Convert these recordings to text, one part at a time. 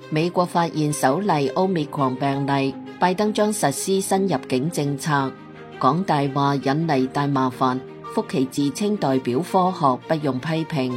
美國發現首例 Omicron 病例，拜登將實施新入境政策。講大話引嚟大麻煩，福奇自稱代表科學，不用批評。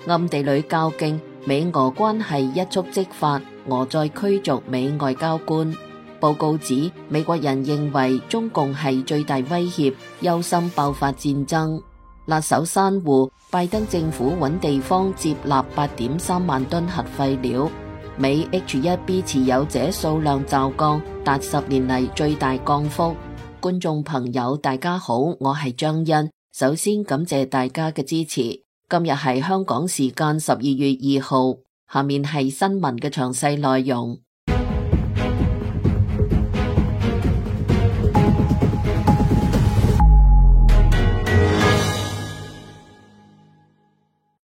暗地裏較勁，美俄關係一觸即發，俄再驅逐美外交官。報告指，美國人認為中共係最大威脅，憂心爆發戰爭。辣手珊瑚，拜登政府揾地方接納8.3萬噸核廢料。美 H1B 持有者數量驟降，達10年嚟最大降幅。觀眾朋友大家好，我係張欣，首先感謝大家嘅支持。今日係香港時間12月2號，下面係新聞嘅詳細內容。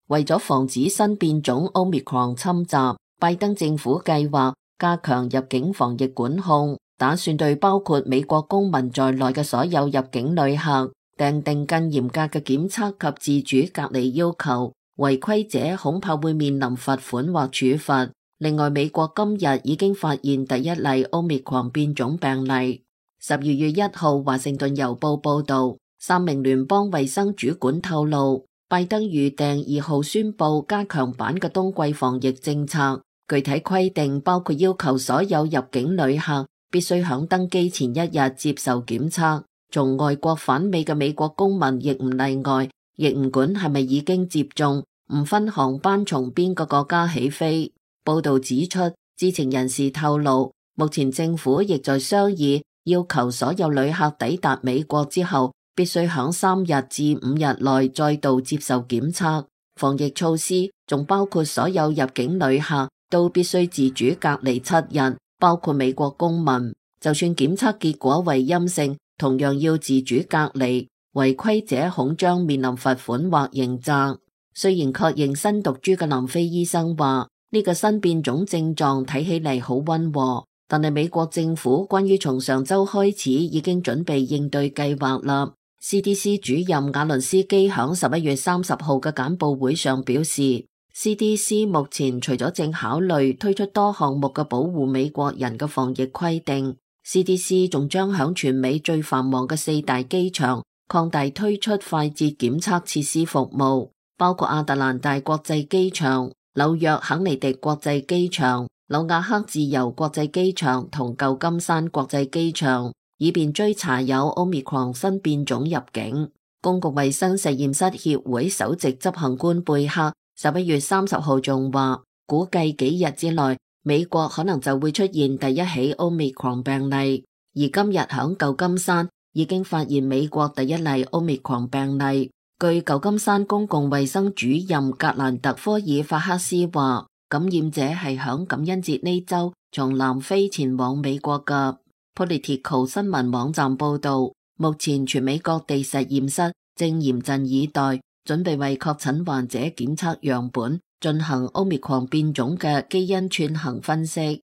為咗防止新變種 Omicron 侵襲，拜登政府計劃加強入境防疫管控，打算對包括美國公民在內嘅所有入境旅客訂定更嚴格嘅檢測及自主隔離要求，違規者恐怕會面臨罰款或處罰。另外，美國今日已經發現第一例 Omicron 變種病例。12月1號，華盛頓郵報報道，3名聯邦衛生主管透露，拜登預訂2號宣布加強版嘅冬季防疫政策，具體規定包括要求所有入境旅客必須響登機前1日接受檢測，從外國返美嘅美國公民亦唔例外，亦唔管係咪已經接種，唔分航班從邊個國家起飛。報道指出，知情人士透露，目前政府亦在商議要求所有旅客抵達美國之後必須響3日至5日內再度接受檢測。防疫措施仲包括所有入境旅客都必須自主隔離7日，包括美國公民。就算檢測結果為陰性，同樣要自主隔離。違規者恐將面臨罰款或刑責。雖然確認新毒株嘅南非醫生話，呢個新變種症狀睇起嚟好溫和，但係美國政府關於從上周開始已經準備應對計劃啦。CDC 主任瓦倫斯基響11月30號嘅簡報會上表示， CDC 目前除咗正考慮推出多項目嘅保護美國人嘅防疫規定， CDC 仲將響全美最繁忙嘅4大機場擴大推出快捷檢測設施服務，包括亞特蘭大國際機場、紐約肯尼迪國際機場、紐瓦克自由國際機場同舊金山國際機場，以便追查有 Omicron 新變種入境。公共衛生實驗室協會首席執行官貝克11月30號仲話，估計幾日之內，美國可能就會出現第一起 Omicron 病例。而今日響舊金山已經發現美國第一例 Omicron 病例。據舊金山公共衛生主任格蘭特科爾法克斯話，感染者係響感恩節呢周從南非前往美國嘅。Political 新聞網站報道，目前全美各地實驗室正嚴陣以待，準備為確診患者檢測樣本進行 Omicron 變種嘅基因串行分析。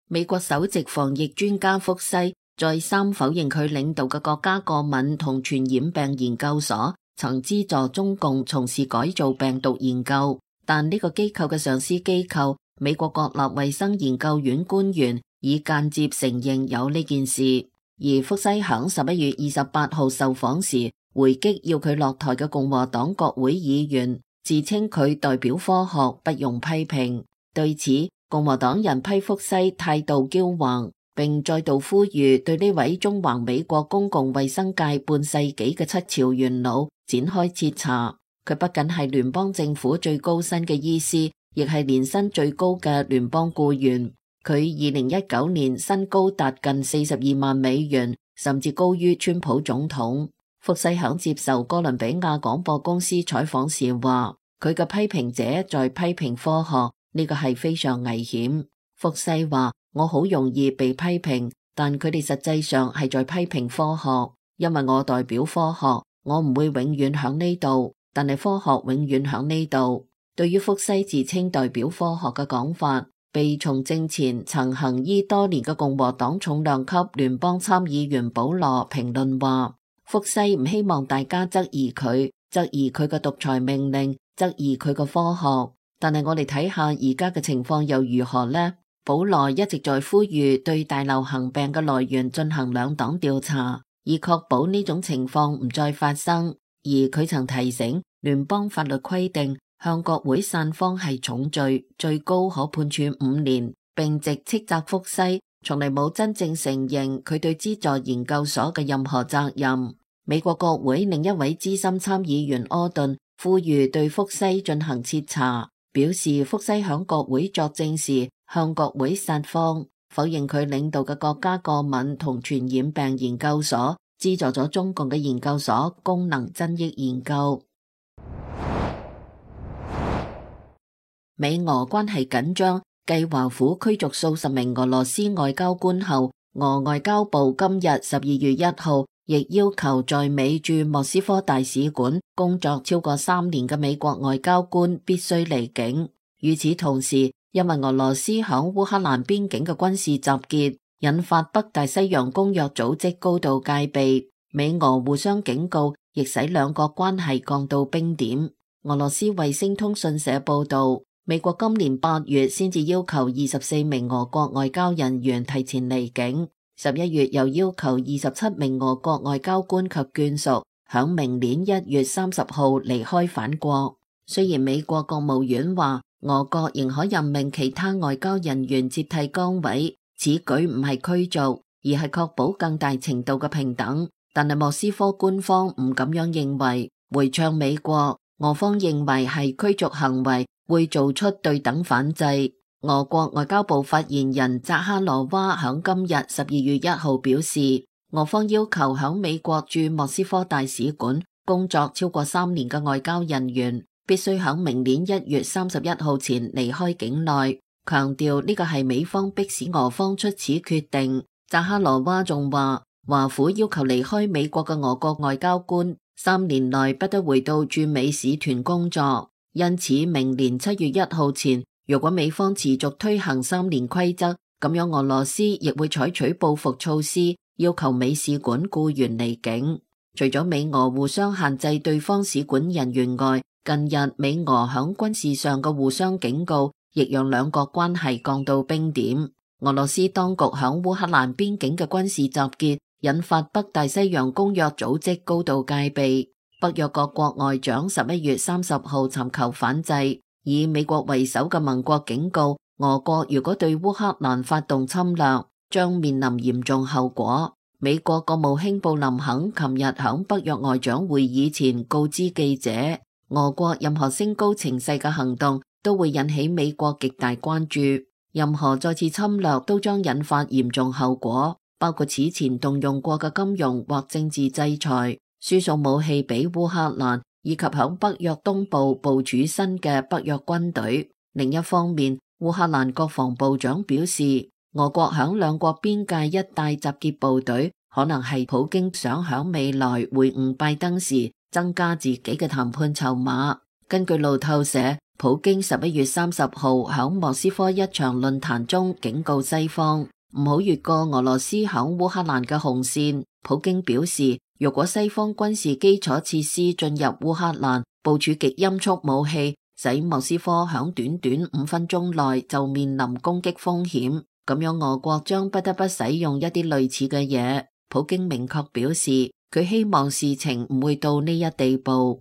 美國首席防疫專家福西再三否認佢領導嘅國家過敏同傳染病研究所曾資助中共從事改造病毒研究，但呢個機構嘅上司機構美國國立衛生研究院官員已間接承認有呢件事。而福西響11月28號受訪時回擊要佢落台嘅共和黨國會議員，自稱佢代表科學，不用批評。對此，共和黨人批福西態度驕橫，並再度呼籲對呢位縱橫美國公共衛生界半世紀嘅七朝元老展開徹查。佢不僅係聯邦政府最高薪嘅醫師，亦係年薪最高嘅聯邦僱員。佢2019年薪高達近42萬美元，甚至高於川普總統。福西響接受哥倫比亞廣播公司採訪時話，佢嘅批評者在批評科學，呢個係非常危險。福西話，我好容易被批評，但佢哋實際上係在批評科學，因為我代表科學，我唔會永遠響呢度，但係科學永遠響呢度。對於福西自稱代表科學嘅講法，被從政前曾行醫多年嘅共和黨重量級聯邦參議員保羅評論話，福西唔希望大家質疑佢嘅獨裁命令，質疑佢嘅科學。但係我哋睇下而家嘅情況又如何呢？保羅一直在呼籲對大流行病嘅來源進行兩黨調查，以確保呢種情況唔再發生。而佢曾提醒，聯邦法律規定向國會散謊係重罪，最高可判處5年，並直斥責福西從嚟冇真正承認佢對資助研究所嘅任何責任。美國國會另一位資深參議員柯頓呼籲對福西進行徹查，表示福西響國會作證時向國會撒謊，否認佢領導嘅國家過敏同傳染病研究所資助咗中共嘅研究所功能增益研究。美俄關係緊張，繼華府驅逐數十名俄羅斯外交官後，俄外交部今日12月1號亦要求在美駐莫斯科大使館工作超過3年嘅美國外交官必須離境。與此同時，因為俄羅斯響烏克蘭邊境嘅軍事集結，引發北大西洋公約組織高度戒備，美俄互相警告，亦使兩國關係降到冰點。俄羅斯衛星通訊社報道，美國今年8月先至要求24名俄國外交人員提前離境，11月又要求27名俄國外交官及眷屬響明年1月30號離開返國。雖然美國國務院話俄國仍可任命其他外交人員接替崗位，此舉唔係驅逐，而係確保更大程度嘅平等。但係莫斯科官方唔咁樣認為，回嗆美國，俄方認為係驅逐行為會做出對等反制。俄國外交部發言人扎哈羅娃響今日12月1號表示，俄方要求響美國駐莫斯科大使館工作超過3年嘅外交人員必須響明年1月31號前離開境內，強調呢個係美方迫使俄方出此決定。扎哈羅娃仲話，華府要求離開美國嘅俄國外交官3年內不得回到駐美使團工作，因此明年7月1號前，如果美方持續推行3年規則，咁樣俄羅斯亦會採取報復措施，要求美使館僱員離境。除咗美俄互相限制對方使館人員外，近日美俄響軍事上嘅互相警告，亦讓兩國關係降到冰點。俄羅斯當局響烏克蘭邊境嘅軍事集結，引發北大西洋公約組織高度戒備。北約各國外長11月30號尋求反制，以美國為首嘅盟國警告，俄國如果對烏克蘭發動侵略，將面臨嚴重後果。美國國務卿布林肯琴日響北約外長會議前告知記者，俄國任何升高情勢嘅行動都會引起美國極大關注，任何再次侵略都將引發嚴重後果，包括此前動用過嘅金融或政治制裁、輸送武器俾烏克蘭，以及響北約東部部署新嘅北約軍隊。另一方面，烏克蘭國防部長表示，俄國響兩國邊界一帶集結部隊，可能係普京想響未來會晤拜登時增加自己嘅談判籌碼。根據路透社，普京11月30號響莫斯科一場論壇中警告西方唔好越過俄羅斯響烏克蘭嘅紅線。普京表示，如果西方軍事基礎設施進入烏克蘭，部署極音速武器，使莫斯科響短短5分鐘內就面臨攻擊風險，咁樣俄國將不得不使用一啲類似嘅嘢。普京明確表示，佢希望事情唔會到呢一地步。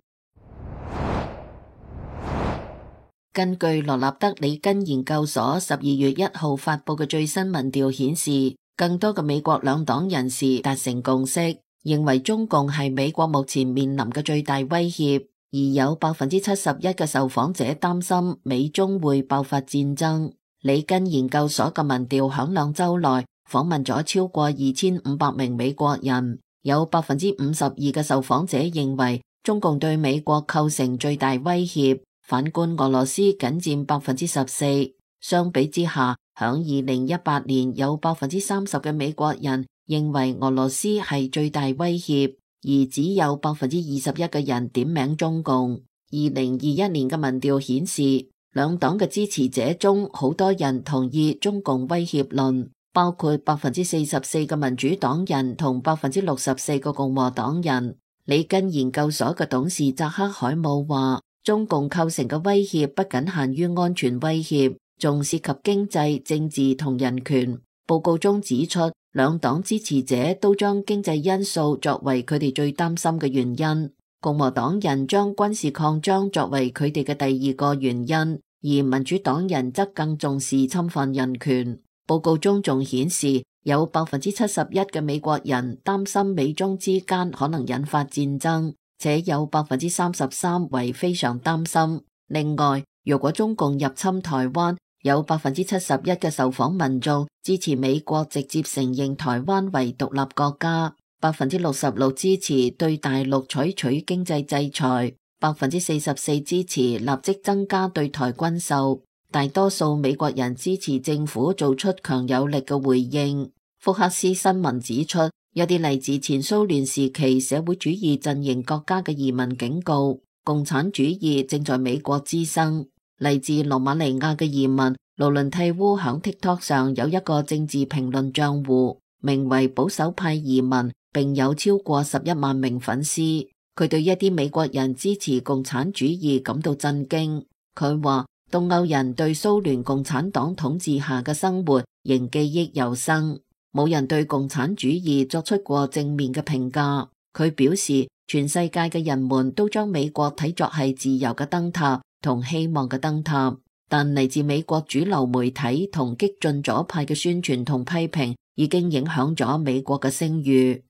根據羅納德里根研究所12月1號發佈嘅最新民調顯示，更多嘅美國兩黨人士達成共識，認為中共係美國目前面臨嘅最大威脅，而有71%嘅受訪者擔心美中會爆發戰爭。里根研究所嘅民調響2週內訪問咗超過2500名美國人，有52%嘅受訪者認為中共對美國構成最大威脅，反觀俄羅斯僅佔14%。相比之下，響2018年有30%嘅美國人認為俄羅斯係最大威脅，而只有21%嘅人點名中共。2021年嘅民調顯示，兩黨嘅支持者中好多人同意中共威脅論，包括44%嘅民主黨人同64%嘅共和黨人。里根研究所嘅董事扎克海姆話，中共構成嘅威脅不僅限於安全威脅，仲涉及經濟、政治同人權。報告中指出，兩黨支持者都將經濟因素作為佢哋最擔心嘅原因，共和黨人將軍事擴張作為佢哋嘅第二個原因，而民主黨人則更重視侵犯人權。報告中仲顯示，有71%嘅美國人擔心美中之間可能引發戰爭，且有33%為非常擔心。另外，如果中共入侵台灣，有71%嘅受訪民眾支持美國直接承認台灣為獨立國家，66%支持對大陸採取經濟制裁，44%支持立即增加對台軍售。大多數美國人支持政府做出強有力嘅回應。福克斯新聞指出，有啲嚟自前蘇聯時期社會主義陣營國家嘅移民警告，共產主義正在美國滋生。嚟自羅馬尼亞嘅移民盧倫蒂烏響 TikTok 上有一個政治評論賬戶，名為保守派移民，並有超過11萬名粉絲。佢對一啲美國人支持共產主義感到震驚。佢話東歐人對蘇聯共產黨統治下嘅生活仍記憶猶新，冇人對共產主義作出過正面嘅評價。佢表示，全世界嘅人們都將美國睇作係自由嘅燈塔同希望嘅燈塔，但嚟自美國主流媒體同激進左派嘅宣傳同批評已經影響咗美國嘅聲譽。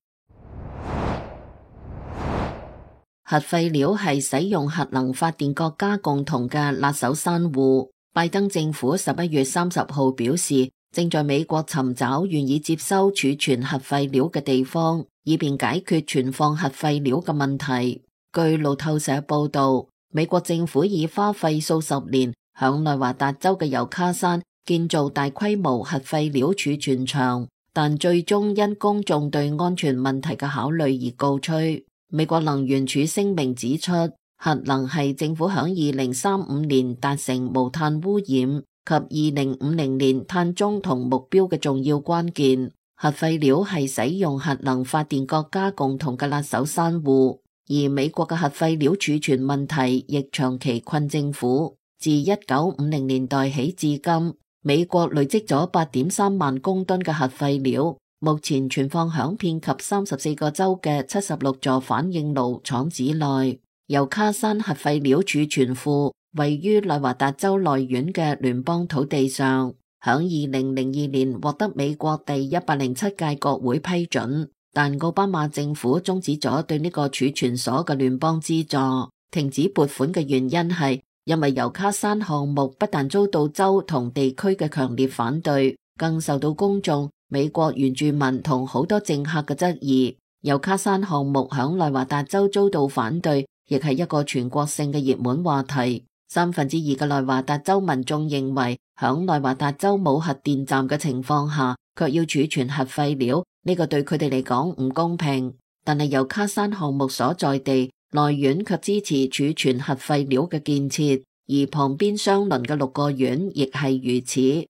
核廢料係使用核能發電國家共同嘅辣手山芋。拜登政府11月30號表示，正在美國尋找願意接收儲存核廢料嘅地方，以便解決存放核廢料嘅問題。據路透社報道，美國政府已花費數十年響內華達州嘅尤卡山建造大規模核廢料儲存場，但最終因公眾對安全問題嘅考慮而告吹。美國能源署聲明指出，核能係政府響2035年達成無碳污染及2050年碳中同目標嘅重要關鍵。核廢料係使用核能發電國家共同嘅辣手山芋。而美國嘅核廢料儲存問題亦長期困政府。自1950年代起至今，美國累積咗8.3萬公噸嘅核廢料，目前存放響遍及34個州嘅76座反應爐廠址內。尤卡山核廢料儲存庫位於內華達州內院嘅聯邦土地上，響2002年獲得美國第107屆國會批准。但奧巴馬政府終止咗對呢個儲存所嘅聯邦資助，停止撥款嘅原因係因為尤卡山項目不但遭到州同地區嘅強烈反對，更受到公眾、美國原住民同好多政客嘅質疑。尤卡山項目響內華達州遭到反對，亦係一個全國性嘅熱門話題。2/3嘅內華達州民眾認為，響內華達州冇核電站嘅情況下，卻要儲存核廢料，呢個對佢哋嚟講唔公平。但係尤卡山項目所在地內院卻支持儲存核廢料嘅建設，而旁邊相鄰嘅6個縣亦係如此。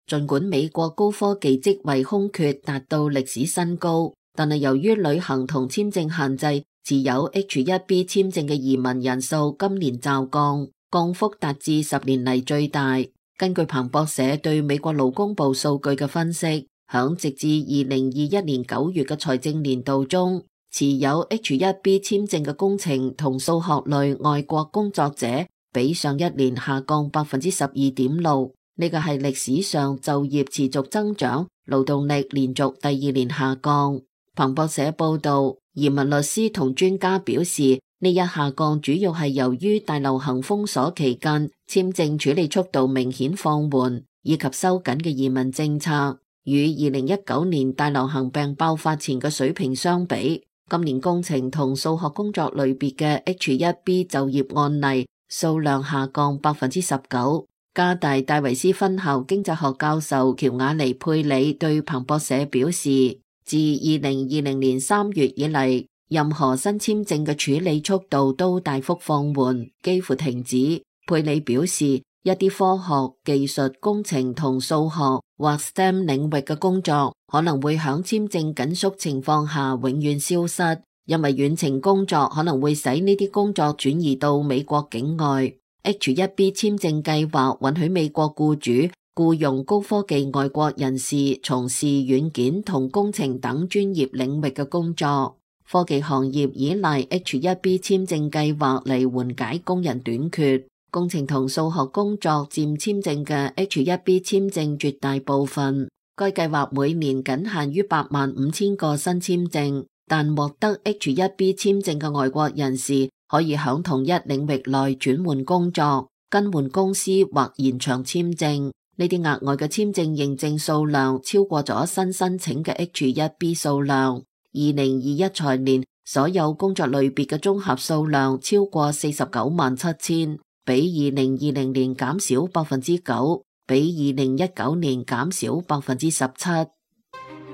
儘管美國高科技職位空缺達到歷史新高，但係由於旅行同簽證限制，持有 H-1B 簽證嘅移民人數今年驟降，降幅達至10年嚟最大。根據彭博社對美國勞工部數據嘅分析，響直至2021年9月嘅財政年度中，持有 H-1B 簽證嘅工程同數學類外國工作者比上一年下降 12.6%， 呢個係歷史上就業持續增長，勞動力連續第2年下降。彭博社報道，移民律師同專家表示，呢一下降主要係由於大流行封鎖期間簽證處理速度明顯放緩，以及收緊嘅移民政策。與2019年大流行病爆發前嘅水平相比，今年工程同數學工作類別嘅 H-1B 就業案例數量下降 19%。加大戴維斯分校經濟學教授喬瓦尼佩里對彭博社表示，自2020年3月以嚟，任何新簽證嘅處理速度都大幅放緩，幾乎停止。佩里表示，一啲科學、技術、工程同數學或 STEM 領域嘅工作可能會響簽證緊縮情況下永遠消失，因為遠程工作可能會使呢啲工作轉移到美國境外。H-1B 簽證計劃允許美國僱主僱用高科技外國人士從事軟件同工程等專業領域嘅工作。科技行業依賴 H-1B 簽證計劃嚟緩解工人短缺。工程同數學工作佔簽證嘅 H-1B 簽證絕大部分。該計劃每年僅限於85000個新簽證，但獲得 H-1B 簽證嘅外國人士可以響同一領域內轉換工作、更換公司或延長簽證。呢啲額外嘅簽證認證數量超過咗新申請嘅 H-1B 數量。2021財年所有工作類別嘅綜合數量超過497000，比2020年減少 9%，比2019年減少 17%。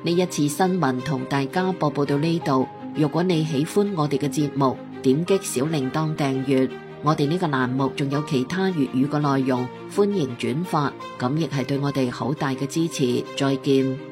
呢一次新聞同大家播報到呢度。如果你喜歡我哋嘅節目，點擊小鈴鐺訂閱。我哋呢個欄目仲有其他粵語嘅內容，歡迎轉發，咁亦係對我哋好大嘅支持。再見。